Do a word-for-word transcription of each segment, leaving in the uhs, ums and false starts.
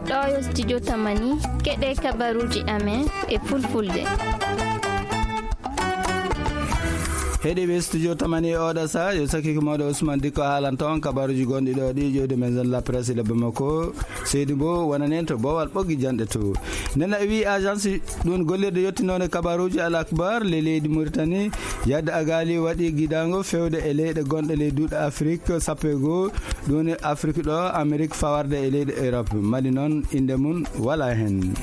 Ɗo yo studio Tamani, keɗe kabaruji amen e fulfulde. Heɗiɓe studio Tamani e oɗo sa, yo sakiko mawɗo Ousmane Dikko haalanto on kabaruji gonɗi ɗo ɗi ƴewde maison de la presse e lebbo makko. Seydi Mbow wonanen to Bowal Ɓoggi Janɗe to. Nena e wi agence ɗum gollirde yettinode kabaruji Al Akbar le leydi Mauritanie, yadde agali waɗi gidango fewde e leyɗe gonɗe ley duuɗe Afrique sappo e goo, ɗum e Afrique ɗo, Amérique fawarde e leyɗe Europe. Mali noon, inde mum wala hen.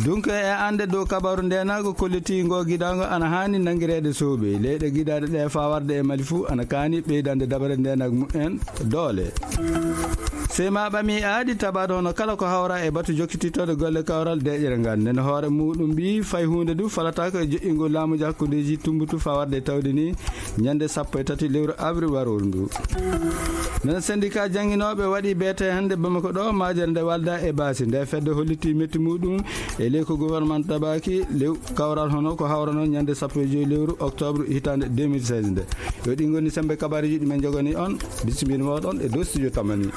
Donc e ande dow kabaru ndenago kolliti ngo gidango ana hani nangirede soɓe. Leyɗe gidaɗe ɗe fawarde e Mali fuu ana kani ɓeydande dabare ndenago mumen doole. Sey ma ɓami aadi tabaade hono kala ko hawra e batu jokkitittoode golle kawral deƴere ngal. Nden hoore muɗum mbi fay huunde du falataako e joƴƴingol laamuji hakkundeji tumbutu fawarde e tawde ni ñande sappo e tati lewru avril warooru ndu. Nden syndicat jannginooɓe waɗi beete hannde Bamako ɗo, majere nde walda e baasi. Nde fedde holliti metti muɗum e ley ko gouvernement tabaki lew kawral hono ko hawrano ñande sappo e joyi lewru octobre hitande deux mille seize nde. Yo ɗi ngoni sembe kabaruji ɗi men jogani on. Bisimilla moɗon e dow studio Tamani.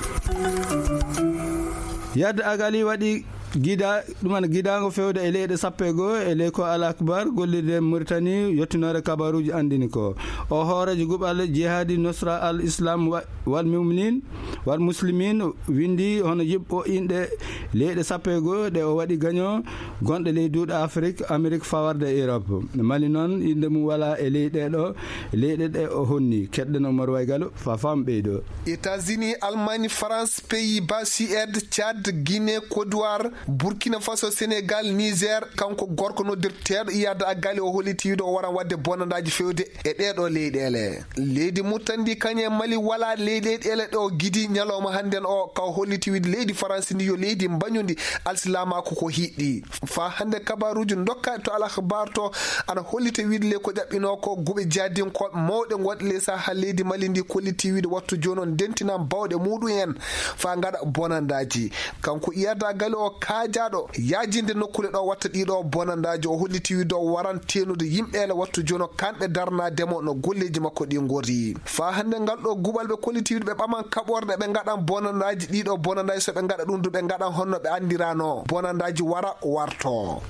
Yadde agali waɗi gida, ɗum ana gidango fewde e leyɗe sappo e goo e ley ko Al Akbar gollirde Mauritanie yettinore kabaruji andini ko o hoorejo guɓal jihadi Nusra Al Islam wa-, wal Muminin wal Muslimin windi hono yiɓɓo inɗe leyɗe sappo e goo ɗe o waɗi gaño gonɗe ley duuɗe Afrique, Amérique fawarde e Europe. Mali noon, innde mum wala e ley ɗeɗo leyɗe ɗe o honni. Keɗɗen Omar Waygalo, fa fam ɓeydo. États-Unis, Allemagne, France, Pays-Bas, Suède, Tchad, Guinée, Côte d'Ivoire, Burkina Faso, Sénégal, Niger, kanko gorko noddirteeɗo Iyad Agali o holliti wiide o waran waɗde bonandaaji fewde e ɗeɗo leyɗeele. Leydi Murtandi kañe Mali wala ley leyɗeele ɗo gidi ñalawma hannden o ka o holliti wiide leydi Faransi ndi yo leydi mbañundi alsilamaaku ko hiɗɗi. Fa hannde kabaruuji dokka to Al Akhbar to ana hollita wiide le ko ƴaɓɓinoo ko guɓe jahdinkooɓe mawɗe gonɗe ley Sahel leydi Mali ndi kolliti wiide wattu jooni o ndentina bawɗe muɗum en fa ngaɗa bonandaaji. Kanko Iyad Agali o kaajaaɗo yaajinde nokkule ɗo watta ɗiɗo bonandaaji o holliti wiide o waran teenude yimɓeele wattu jooni o kanɓe darnaade mo no golleeji makko ɗi ngori. Fa hannde ngal ɗo guɓal ɓe kolliti wiide ɓe ɓaman kaɓorɗe ɓe ngaɗan bonandaaji ɗiɗo bonandaaji so ɓe ngaɗa ɗum du ɓe ngaɗan honno ɓe anndirano bonandaaji wara warto.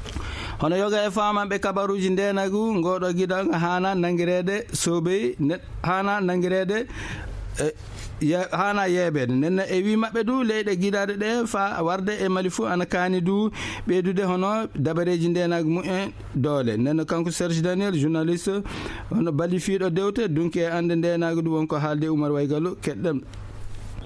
Hono yoga e famanɓe kabaruji ndenagu ngoɗo giɗal hana nangirede soobey ne-, hana nangirede, e, ye-, hana yeɓede. Nenne e wi maɓɓe du leyɗe giɗaɗe ɗe fa warde e Mali fu ana kani du ɓeydude hono dabareji ndenagu mumen doole. Nenne kanko Serge Daniel, journaliste, hono balifiɗo dewte, dunki e ande ndenagu du wonko haalde Oumar Waygallo, keɗɗen.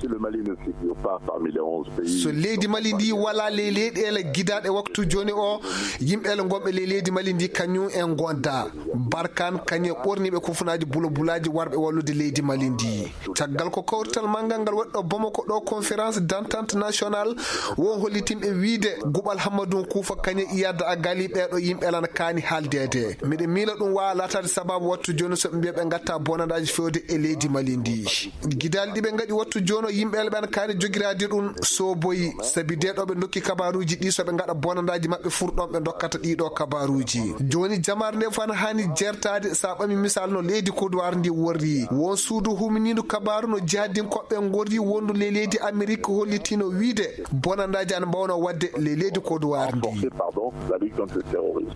Si le Mali ne figure pas parmi les onze pays. So leydi Mali ndi wala ley leyɗeele gidaɗe waktu joni o, yimɓeele gonɓe ley leydi Mali ndi kañum en gonda. Barkan kañum e ɓorniɓe kofunaji bulabulaji warɓe wallude leydi Mali ndi. Caggal ko kawrital manngal ngal waɗi ɗo Bamako ɗo conférence d'entente nationale, won hollitinɓe wiide guɓal Hammadou Koufa kañum e Iyad Agali ɓeɗo yimɓe lan kaani haaldeede. Miɗo miila ɗum waawa laataade sababu wattu jooni so ɓe mbiya ɓe ngatta bonandaji fewde e leydi Mali ndi. Gidaali ɗi ɓe ngaɗi wattu jooni o yimɓe ɓen kaani jogiraade ɗum soboyi, sabi de ɗo ɓe ndokki kabaruuji ɗi so ɓe ngaɗa bonandaji maɓɓe fur ɗon ɓe ndokkata ɗiɗo kabaruuji. Jooni jamaare nde fof ana haani jertaade, so a ɓami misal no leydi Kodowar ndi worri. Won suudu huminiidu kabaru no jihadinkoɓe ngorri wondu le leydi Amerik hollitino wiide bonandaji ana mbawno wadde le leydi Kodowar ndi. Renforcer, pardon, la lutte contre le terrorisme.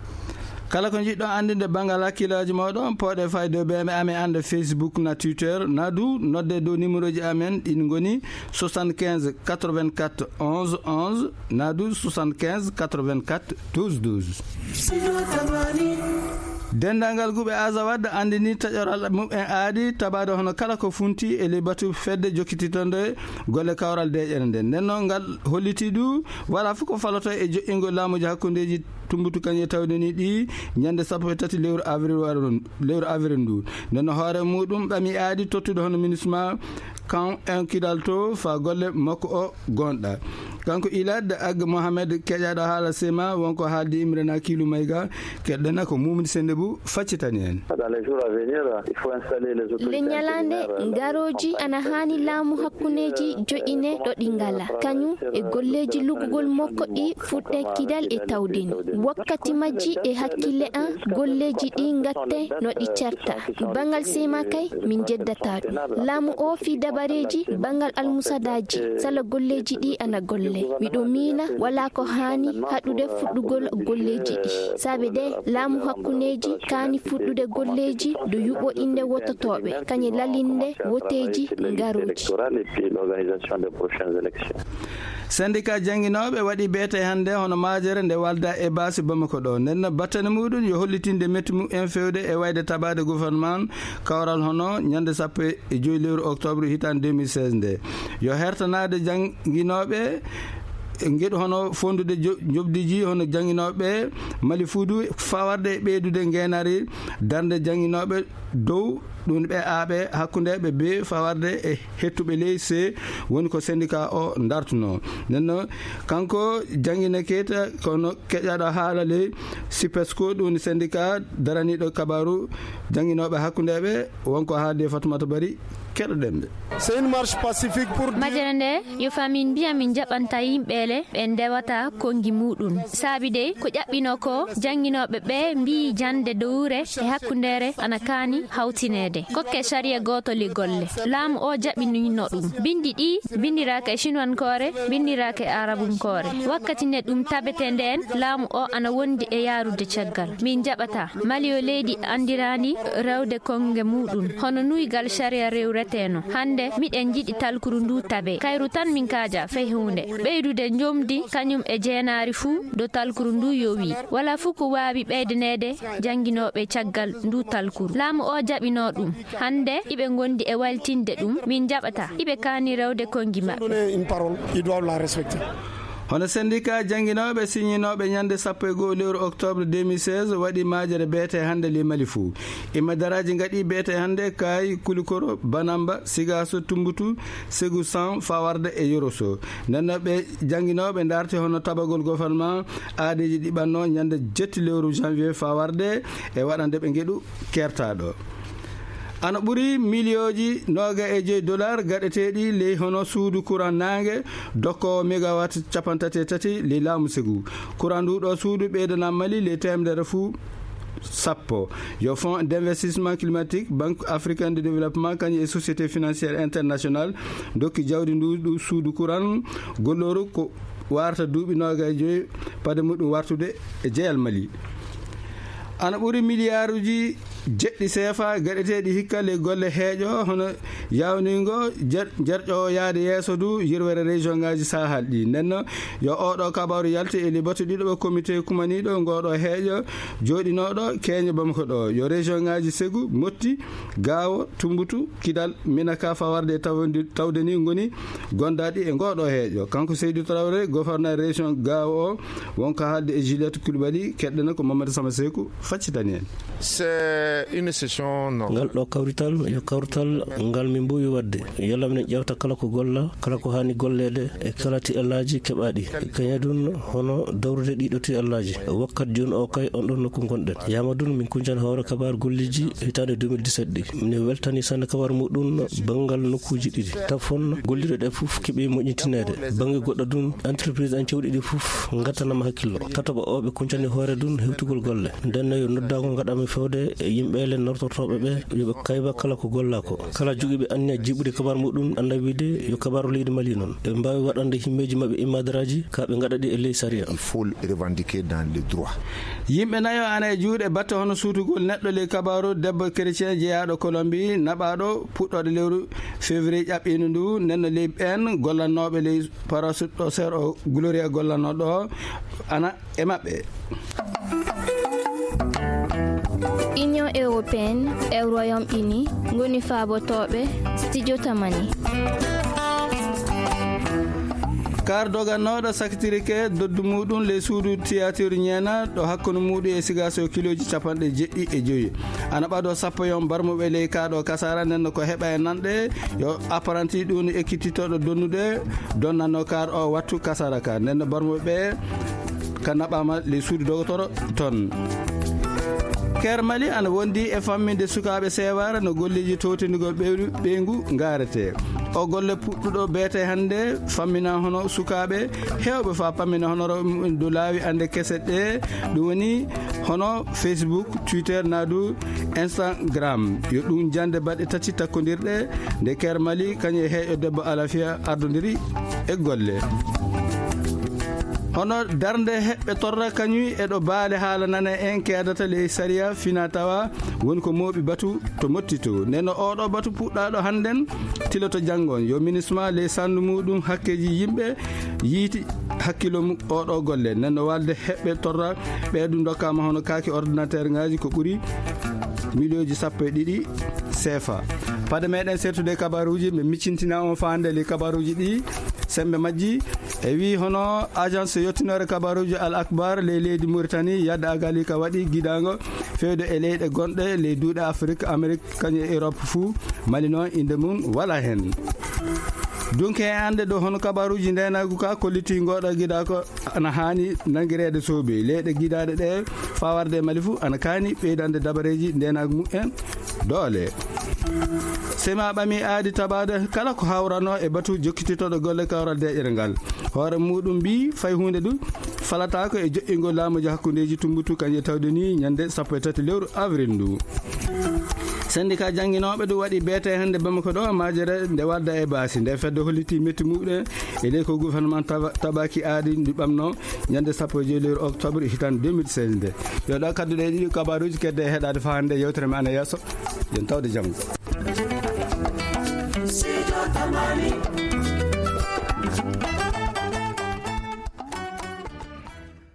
Kala ko njiɗɗon anndinde banngal hakkillaaji mooɗon, pooɗe fayde ɓe ɓe amen annde Facebook na Twitter, na du nodde dow numéroji amen, ɗin ngoni soixante-quinze quatre-vingt-quatre onze onze, na du soixante-quinze quatre-vingt-quatre douze douze. Denndaangal guɓe Azawad anndini taƴoral mumen aadi tabaade hono kala ko funti e ley batu fedde jokkititonde golle kawral deeƴere nden. Nden noon ngal holliti du wala fof ko faloto e joƴƴingol laamuji hakkundeji tumbutu kañum e tawde ni ɗi ñande sappo e tati lewru avril waro, lewru avril ndu. Nden no hoore muɗum ɓami aadi tottude hono MINUSMA kan en kidal to fa golle makko o gonɗa. Kanko Ilad Ag Mohamed keƴaɗo haala sema wonko haaldi Imrana Kilu Mayga, keɗɗena ko Mumdi Sende Bu faccitani en. Dans les jours à venir, il faut installer les autorités. Le ñalande intérieures, ngaroji ana haani laamu hakkundeji joƴine ɗo ɗi ngala. Kañum e golleji luggugol makko ɗi fuɗɗe kidal e tawdini. Wakkati majji e hakkille an, golleeji ɗi ngatte no ɗi certa. Banngal sema kay, min jeddata ɗum. Laamu o fii dabareeji banngal almusadaaji, sala golleeji ɗi ana golle. Miɗo miila walaa ko haani haɗude fuɗɗugol golleeji ɗi. Saabe de, laamu hakkundeeji kaani fuɗɗude golleeji do yuɓo innde wototooɓe, kañe lalinde woteeji ngarooji. Syndicat jannginooɓe waɗi beete hannde hono maajere nde walda e baasi Bamako ɗo. Nden no battane muɗum yo hollitinde metti mumen fewde e wayde tabaade gouvernement kawral hono ñande sappo e joy lewru octobre hitaande deux mille seize nde. Yo hertanaade jannginooɓe ngeɗu hono fondude jo-, njoɓdiji hono jannginooɓe Mali Fuudu fawarde e ɓeydude ngeenaari darnde jannginooɓe dow ɗum ɓe aaɓe hakkundeeɓe be fawarde e hettuɓe ley se woni ko syndicat o dartuno. Nden no kanko janngina keta kono keƴaɗo haala ley sipesco ɗum syndicat daraniɗo kabaru jannginooɓe hakkundeeɓe wonko haalde Fatoumata Bari keɗoɗen ɓe. C'est une marche pacifique pour dire Majere nde yo famin mbiya min jaɓanta yimɓeele ɓe ndewata konngi muɗum. Saabi dey ko ƴaɓɓino ko jannginooɓe ɓe mbiyi jannde dowre e hakkundeere ana kaani hawtineede. Kokke sariya gootoli golle. Laamu o jaɓinino ɗum. Binndi ɗi binndiraaka e sinuwankoore, binndiraaka e arabunkoore. Wakkati nde ɗum tabete nden, laamu o ana wondi e yaarude caggal. Min jaɓata. Mali yo leydi anndiraandi rewde konnge muɗum. Hono nuygal sariya rewreteno. Hannde miɗen njiɗi talkuru ndu tabe. Kayru tan min kaaja fey huunde. Ɓeydude njomdi kañum e jeenaari fuu do talkuru ndu yowi. Wala fuu ko waawi ɓeydaneede jannginooɓe caggal ndu talkuru. Laamu o jaɓino ɗum. Hannde iɓe ngondi e waltinde ɗum. Min jaɓata. Iɓe kaani rewde konngi maɓɓe. Donner une parole, ils doivent la respecter. Hono syndicat jannginooɓe siñinooɓe ñande sappo e go'o lewru octobre deux mille seize waɗi majere beete hannde ley Mali fuu. Imma daraaji ngaɗi beete hannde Kaayi, Kulikoro, Banamba, Sigaaso, Tumbutu, Segu, San, fawarde e Yoroso. Nden no ɓe jannginooɓe darti hono tabagol gouvernement aadeeji ɗi ɓanno ñande jetti lewru janvier fawarde e waɗande ɓe ngeɗu kertaaɗo. Ana ɓuri miliyooji nooga e joy dollar gaɗeteeɗi ley hono suudu courant naange dokkoowo megawatt capantati e tati ley laamu Segu. Courant ndu ɗo suudu ɓeydana Mali ley teemedere fuu sappo. Yo Fonds d'investissement climatique, Banque africaine de développement, kañum e Société financière internationale dokki jawdi ndu, ndu suudu courant gollooru ko warta duuɓi nooga e joy pade muɗum wartude e jeyal Mali. Ana ɓuri miliyaaruji jeɗɗi seefa gaɗeteeɗi hikka ley golle heeƴo hono yawningo jer-, jerƴo yaade yeeso du yirwere région ngaji Sahel ɗi. Nden no yo oɗo kabaru yalti e libatu ɗiɗo ɓe comité kumaniɗo ngoɗo heeƴo jooɗinoɗo keeño Bamako ɗo. Yo région ngaji Segu, Motti, Gaawo, Tumbutu, Kidal, Minaka fawarde e tawde, tawde ni ngoni gondaɗi e ngoɗo heeƴo. Kanko Seydou Traoré, gouverneur région Gaawo o, wonko haalde e Juliette Coulibaly, keɗɗen ko Mamadou Sama Seku faccitani en. C'est une session normale. Ngal ɗo kawrital yo kawrital ngal min mbowi wadde. Yalla minen ƴewta kala ko golla, kala ko haani golleede e kala tiɗallaaji keɓaaɗi. Kañadun hono dawrude ɗiɗo tiɗallaaji. Wakkat jooni o kay on ɗon nokku ngonɗen. Yamadun min kuñcan hoore kabaar golleeji hitaande deux mille dix-sept ɗi. Mine weltani sanne kabaar muɗum banngal nokkuuji ɗiɗi. Tafon golliɗo ɗe fof keɓi moƴƴintineede. Bannge goɗɗo dun, entreprise en cewɗi ɗi fof ngattanama hakkillo. Tatoɓo o ɓe kuñcani hoore dun hewtugol golle. Nden no yo noddaango ngaɗami fewde e yimɓe le nortortooɓe ɓe, yo ɓe kayba kala ko golla ko. Kala jogiiɓe anniya jiɓude kabaar muɗum annda wiide yo kabaaru leydi Mali noon. Ɓe mbaawi waɗande himmeeji maɓɓe immadaraaji ka ɓe ngaɗa ɗi e ley sariya. Il faut le revendiquer dans le droit. Yimɓe nayo ana e juuɗe batte hono suutugol neɗɗo ley kabaaru debbo chrétien jeyaaɗo Colombie naɓaaɗo puɗɗooɗo lewru février ƴaɓɓiino ndu. Nden no ley ɓeen gollannooɓe ley parasut ɗo seer o Gloria gollannooɗo o ana e maɓɓe. Union européenne e Royaume Uni ngoni faabotooɓe studio Tamani. Kar dogannooɗo sakitirike doddu muɗum ley suudu théâtre Ñeena ɗo hakkunde muɗum e Sigaso kilooji capanɗe jeɗɗi e joyi. Ana ɓado sappo yon barmuɓe ley kaɗo kasara nden no ko heɓa e nanɗe yo apprenti ɗum ekkititoɗo donnude donnanno kar o wattu kasara ka nden no barmuɓe ɓe ka naɓama ley suudu dogotoro ton. Ker Mali ana wondi e famminde sukaaɓe seewaare no golleeji towtindigol ɓeyru-, ɓeyngu ngaarete. O golle puɗɗuɗo beete hannde fammina hono sukaaɓe heewɓe fa pammina hono ro-, do laawi annde kese ɗe, ɗum woni hono Facebook, Twitter, naa du Instagram. Yo ɗum jannde baɗɗe tati takkondirɗe nde Ker Mali kañum e heeƴo debbo Alafia ardondiri e golle. Hono darnde heɓɓe torra kañum e ɗo baale haala nana en keedata ley sariya fina tawa woni ko mooɓi batu to mottito. Nden no oɗo batu puɗɗaɗo hannden tiloto janngon. Yo minisma ley sandu muɗum hakkeji yimɓe yiiti hakkilo mu-, oɗo golle. Nden no walde heɓɓe torra ɓe ɗum dokkama hono kaaki ordinateur ngaji ko ɓuri miliyonji sappo e ɗiɗi sefa. Pade meɗen sertude kabaruji, ɓe miccintina on faande ley kabaruji ɗi sembe majji. E wi hono agence yottinore kabaruji Al Akbar ley leydi Mauritanie, yadda agali ka waɗi gidango fewde e leyɗe gonɗe ley duuɗe Afrique, Amérique, kañum e Europe fuu. Mali noon, innde mum wala heen. Dunke e annde ɗo hono kabaruuji ndeenaagu ka kolliti ngoɗo gida ko ana haani nanngireede soobe. Leyɗe gidaaɗe ɗe fawarde e Mali fuu ana kaani ɓeydande dabareeji ndeenaagu mumen doole. Sema ɓami aadi tabaade kala ko hawrano e batu jokkititoɗo golle kawral deƴere ngal. Hoore muɗum mbi fay huunde du falataako e joƴƴingol laamuji hakkundeeji Tumbutu kañum e tawde ni ñande sappo e tati lewru avril ndu. Syndicat jannginooɓe du waɗi beete hannde Bamako ɗo majere nde wadda e baasi. Nde fedde holliti metti muɗum e ley ko gouvernement taba-, tabaki aadi ndi ɓamno ñande sappo e joy lewru octobre hitande deux mille seize nde. Yo ɗo kadduɗe ɗiɗi kabaruji kedde e heɗade fa hannde yewtere men ana yeeso. Yen tawde jam.